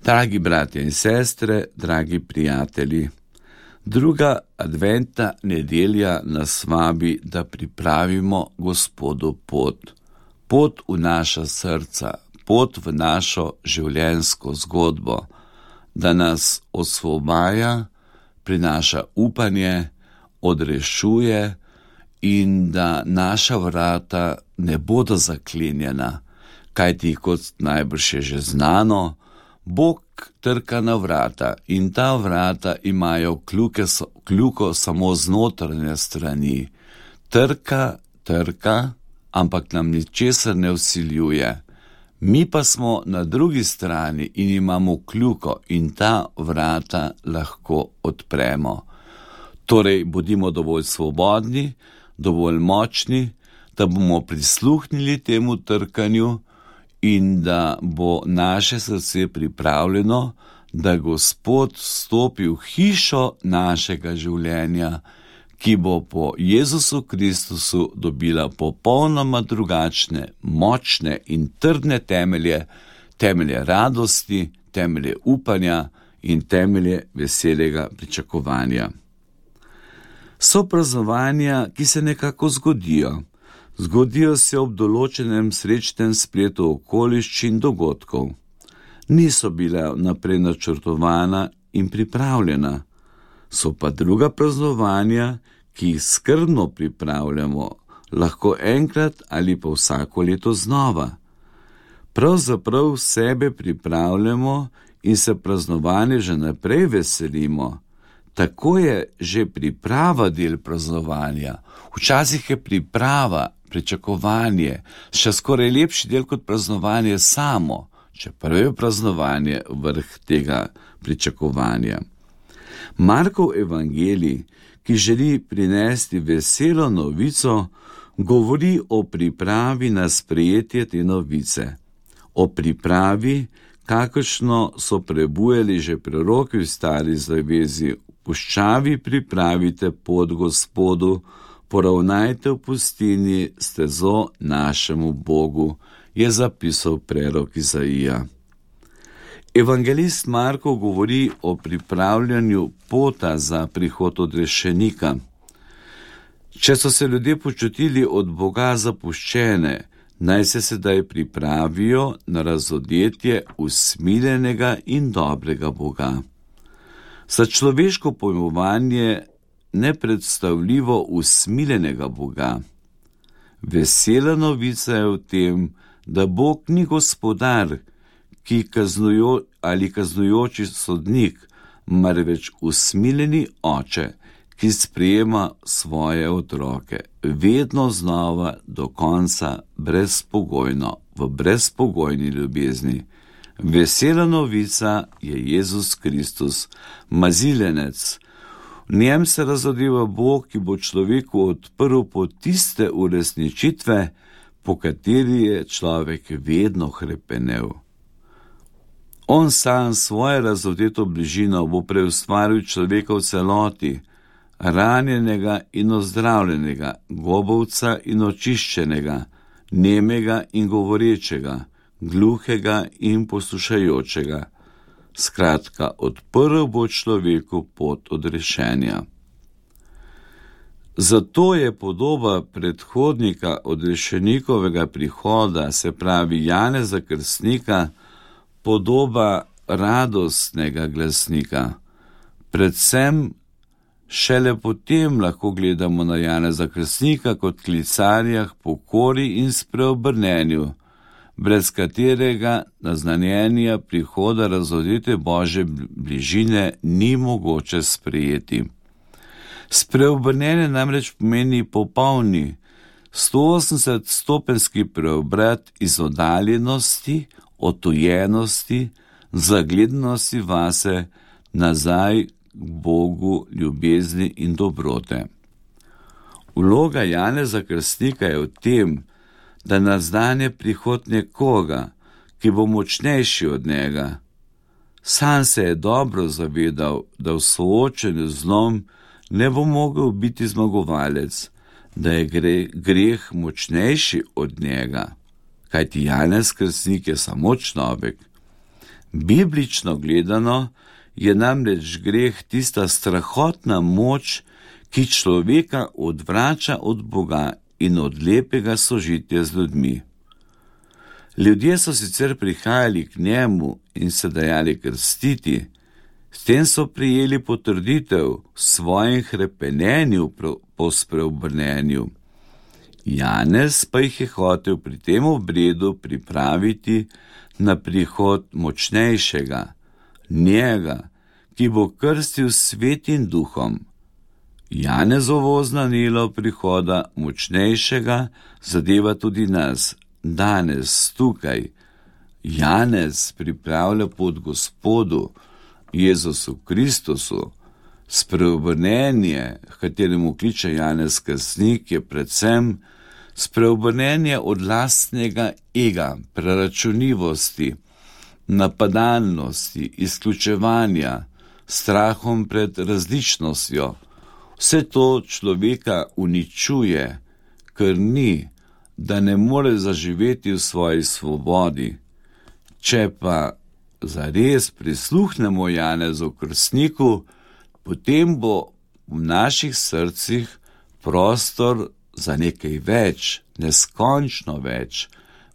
Dragi bratje in sestre, dragi prijatelji, druga adventna nedelja nas vabi, da pripravimo Gospodu pot v naša srca, pot v našo življenjsko zgodbo, da nas osvobaja, prinaša upanje, odrešuje in da naša vrata ne bodo zaklenjena, kajti kot najbrž je že znano, Bog trka na vrata in ta vrata imajo kljuko samo z notranje strani. Trka, ampak nam ničesar ne vsiljuje. Mi pa smo na drugi strani in imamo kljuko in ta vrata lahko odpremo. Torej, bodimo dovolj svobodni, dovolj močni, da bomo prisluhnili temu trkanju in da bo naše srce pripravljeno, da Gospod vstopi v hišo našega življenja, ki bo po Jezusu Kristusu dobila popolnoma drugačne, močne in trdne temelje radosti, temelje upanja in temelje veselega pričakovanja. So praznovanja, ki se nekako zgodijo se ob določenem srečnem spletu okoliščin dogodkov. Niso bila naprej načrtovana in pripravljena. So pa druga praznovanja, ki jih skrbno pripravljamo, lahko enkrat ali pa vsako leto znova. Pravzaprav sebe pripravljamo in se praznovanja že naprej veselimo. Tako je že priprava del praznovanja. Včasih je priprava, pričakovanje, še skoraj lepši del kot praznovanje samo, čeprav je praznovanje vrh tega pričakovanja. Markov evangelij, ki želi prinesti veselo novico, govori o pripravi na sprejetje te novice. O pripravi, kakršno so prebujali že proroki v Stari zavezi: puščavi pripravite pot Gospodu, poravnajte v pustini stezo našemu Bogu, je zapisal prerok Izaija. Evangelist Marko govori o pripravljanju pota za prihod odrešenika. Če so se ljudje počutili od Boga zapuščene, naj se sedaj pripravijo na razodetje usmiljenega in dobrega Boga. Za človeško pojmovanje nepredstavljivo usmiljenega Boga. Vesela novica je v tem, da Bog ni gospodar, ki kaznujoči sodnik, marveč usmiljeni oče, ki sprejema svoje otroke, vedno znova do konca brezpogojno, v brezpogojni ljubezni. Vesela novica je Jezus Kristus, maziljenec. V njem se razodeva Bog, ki bo človeku odprl pot tiste uresničitve, po kateri je človek vedno hrepenel. On sam svojo razodeto bližino bo preustvaril človeka v celoti, ranjenega in ozdravljenega, gobovca in očiščenega, nemega in govorečega, gluhega in poslušajočega. Skratka, odprl bo človeku pot odrešenja. Zato je podoba predhodnika odrešenikovega prihoda, se pravi Janeza Krstnika, podoba radostnega glasnika. Predvsem šele potem lahko gledamo na Janeza Krstnika kot klicarja k pokori in spreobrnenju, brez katerega naznanjenja prihoda razodete Božje bližine ni mogoče sprejeti. Spreobrnenje namreč pomeni popolni 180-stopenjski preobrat iz oddaljenosti, odtujenosti, zagledanosti vase nazaj k Bogu ljubezni in dobrote. Vloga Janeza Krstnika je v tem, da naznanja prihod nekoga, ki bo močnejši od njega. Sam se je dobro zavedal, da v soočenju z zlom ne bo mogel biti zmagovalec, da je greh močnejši od njega, kajti Janez Krstnik je samo človek. Biblično gledano je namreč greh tista strahotna moč, ki človeka odvrača od Boga in od lepega sožitja z ljudmi. Ljudje so sicer prihajali k njemu in se dajali krstiti, s tem so prijeli potrditev v svojem hrepenenju po spreobrnenju. Janez pa jih je hotel pri tem obredu pripraviti na prihod močnejšega, njega, ki bo krstil s Svetim Duhom. Janezovo oznanilo prihoda močnejšega zadeva tudi nas, danes, tukaj. Janez pripravlja pot Gospodu, Jezusu Kristusu. Spreobrnenje, kateremu kliče Janez Krstnik, je predvsem spreobrnenje od lastnega ega, preračunljivosti, napadalnosti, izključevanja, strahom pred različnostjo. Vse to človeka uničuje, krni, da ne more zaživeti v svoji svobodi. Če pa zares prisluhnemo Janezu Krstniku, potem bo v naših srcih prostor za nekaj več, neskončno več,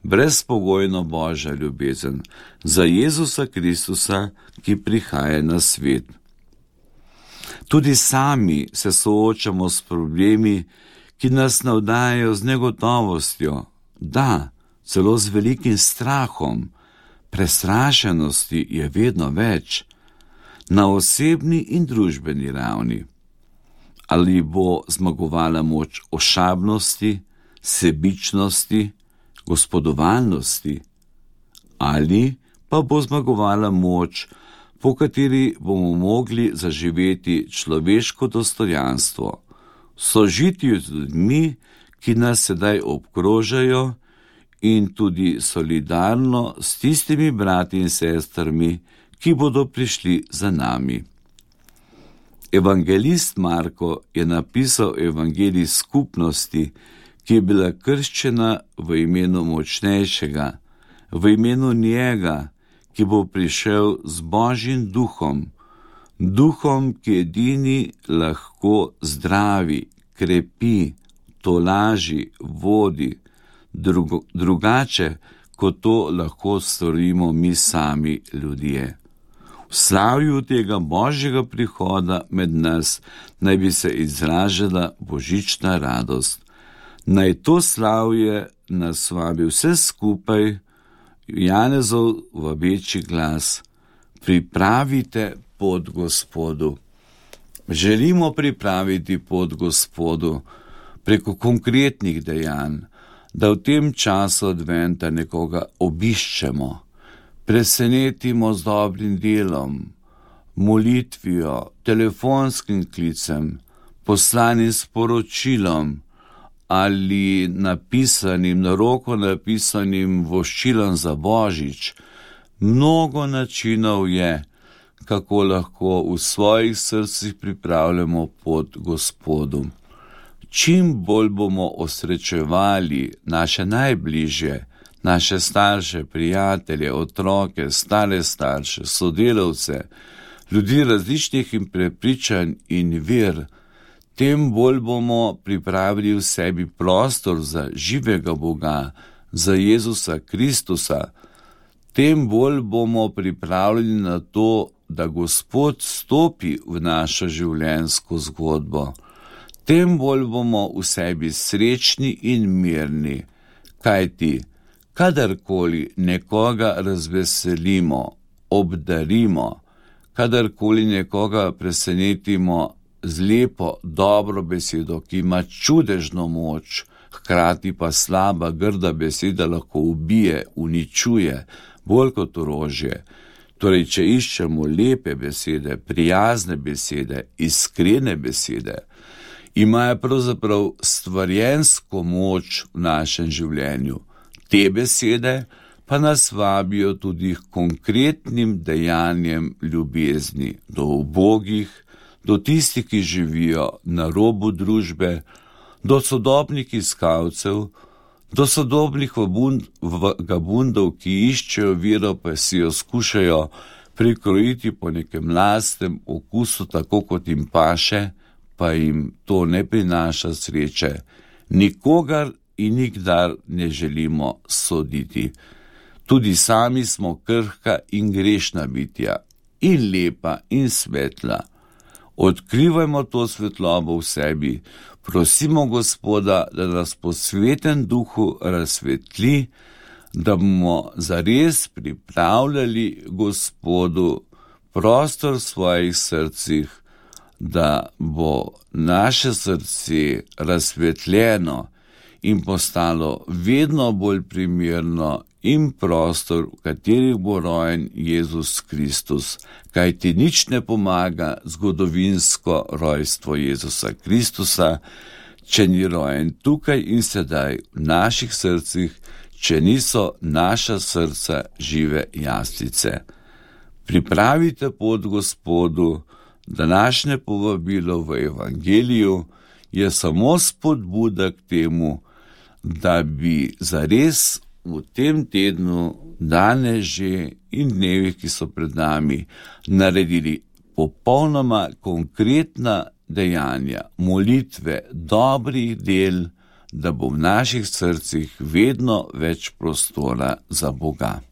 brezpogojno Božja ljubezen, za Jezusa Kristusa, ki prihaja na svet. Tudi sami se soočamo s problemi, ki nas navdajajo z negotovostjo, da, celo z velikim strahom. Prestrašenosti je vedno več, na osebni in družbeni ravni. Ali bo zmagovala moč ošabnosti, sebičnosti, gospodovalnosti, ali pa bo zmagovala moč, po kateri bomo mogli zaživeti človeško dostojanstvo, sožitju z ljudmi, ki nas sedaj obkrožajo, in tudi solidarno s tistimi brati in sestrami, ki bodo prišli za nami. Evangelist Marko je napisal evangelij skupnosti, ki je bila krščena v imenu močnejšega, v imenu njega, ki bo prišel z Božjim duhom, duhom, ki edini lahko zdravi, krepi, tolaži, vodi, drugače, kot to lahko storimo mi sami ljudje. V slavju tega Božjega prihoda med nas naj bi se izražala božična radost. Naj to slavje nas vabi vse skupaj, Janezov vabeči glas: pripravite pot Gospodu. Želimo pripraviti pot Gospodu preko konkretnih dejanj, da v tem času adventa nekoga obiščemo, presenetimo z dobrim delom, molitvijo, telefonskim klicem, poslanim sporočilom ali napisanim, na roko napisanim voščilom za Božič. Mnogo načinov je, kako lahko v svojih srcih pripravljamo pot Gospodu. Čim bolj bomo osrečevali naše najbližje, naše starše, prijatelje, otroke, stare starše, sodelavce, ljudi različnih prepričanj in ver, tem bolj bomo pripravili v sebi prostor za živega Boga, za Jezusa Kristusa, tem bolj bomo pripravljeni na to, da Gospod stopi v našo življenjsko zgodbo. Tem bolj bomo v sebi srečni in mirni, kajti kadarkoli nekoga razveselimo, obdarimo, kadarkoli nekoga presenetimo z lepo, dobro besedo, ki ima čudežno moč, hkrati pa slaba, grda beseda lahko ubije, uničuje, bolj kot orožje. Torej, če iščemo lepe besede, prijazne besede, iskrene besede, imajo pravzaprav stvarjensko moč v našem življenju. Te besede pa nas vabijo tudi k konkretnim dejanjem ljubezni do ubogih, do tistih, ki živijo na robu družbe, do sodobnih iskalcev, Do sodobnih vagabundov, ki iščejo vero, pa si jo skušajo prikrojiti po nekem lastnem okusu, tako kot jim paše, pa jim to ne prinaša sreče. Nikogar in nikdar ne želimo soditi. Tudi sami smo krhka in grešna bitja, in lepa in svetla. Odkrivajmo to svetlobo v sebi, prosimo Gospoda, da nas po Svetem Duhu razsvetli, da bomo zares pripravljali Gospodu prostor v svojih srcih, da bo naše srce razsvetljeno in postalo vedno bolj primerno in prostor, v katerih bo rojen Jezus Kristus, kajti nič ne pomaga zgodovinsko rojstvo Jezusa Kristusa, če ni rojen tukaj in sedaj v naših srcih, če niso naša srca žive jaslice. Pripravite pot Gospodu, današnje povabilo v Evangeliju je samo spodbuda k temu, da bi zares v tem tednu, danes že in dnevih, ki so pred nami, naredili popolnoma konkretna dejanja, molitve, dobrih del, da bo v naših srcih vedno več prostora za Boga.